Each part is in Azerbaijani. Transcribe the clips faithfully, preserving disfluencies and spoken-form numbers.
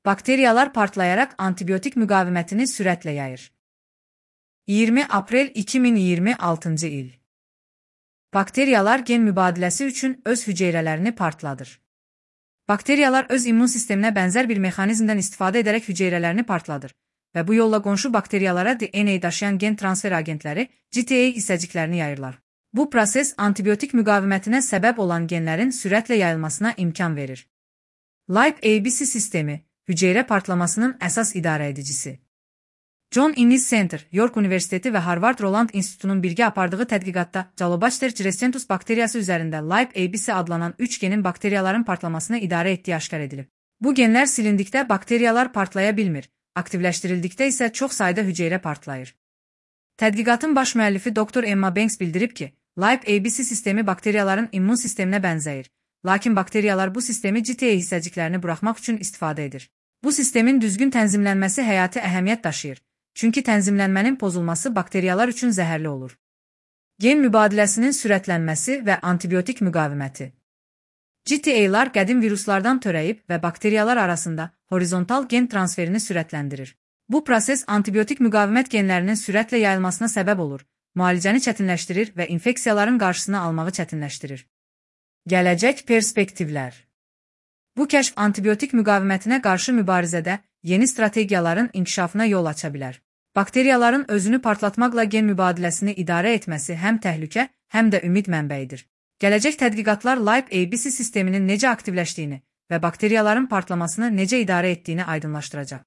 Bakteriyalar partlayarak antibiyotik müqavimətini sürətlə yayır. iyirmi aprel iki min iyirmi altıncı il. Bakteriyalar gen mübadiləsi üçün öz hüceyrələrini partladır. Bakteriyalar öz immun sisteminə bənzər bir mexanizmdən istifadə edərək hüceyrələrini partladır və bu yolla qonşu bakteriyalara D N A daşıyan gen transfer agentləri G T A hissəciklərini yayırlar. Bu proses antibiotik müqavimətinə səbəb olan genlərin sürətlə yayılmasına imkan verir. Live A B C sistemi, hüceyrə partlamasının əsas idarəedicisi. John Innes Center, York Universiteti və Harvard Roland İnstitutunun birgə apardığı tədqiqatda Jalobacter Jiracentus bakteriyası üzərində Live A B C adlanan üç genin bakteriyaların partlamasını idarə etdiyi aşkar edilib. Bu genlər silindikdə bakteriyalar partlaya bilmir, aktivləşdirildikdə isə çox sayda hüceyrə partlayır. Tədqiqatın baş müəllifi doktor Emma Banks bildirib ki, Live A B C sistemi bakteriyaların immun sisteminə bənzəyir, lakin bakteriyalar bu sistemi G T A hissəciklərini buraxmaq üçün istifadə edir. Bu sistemin düzgün tənzimlənməsi həyati əhəmiyyət daşıyır. Çünki tənzimlənmənin pozulması bakteriyalar üçün zəhərli olur. Gen mübadiləsinin sürətlənməsi və antibiotik müqaviməti. G T A'lar qədim viruslardan törəyib və bakteriyalar arasında horizontal gen transferini sürətləndirir. Bu proses antibiotik müqavimət genlərinin sürətlə yayılmasına səbəb olur, müalicəni çətinləşdirir və infeksiyaların qarşısını almağı çətinləşdirir. Gələcək perspektivlər. Bu kəşf antibiotik müqavimətinə qarşı mübarizədə yeni strategiyaların inkişafına yol aça bilər. Bakteriyaların özünü partlatmaqla gen mübadiləsini idarə etməsi həm təhlükə, həm də ümid mənbəyidir. Gələcək tədqiqatlar Live A B C sisteminin necə aktivləşdiyini və bakteriyaların partlamasını necə idarə etdiyini aydınlaşdıracaq.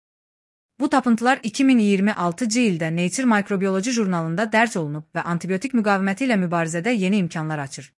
Bu tapıntılar iki min iyirmi altıncı ildə Nature Microbiology jurnalında dərc olunub və antibiotik müqaviməti ilə mübarizədə yeni imkanlar açır.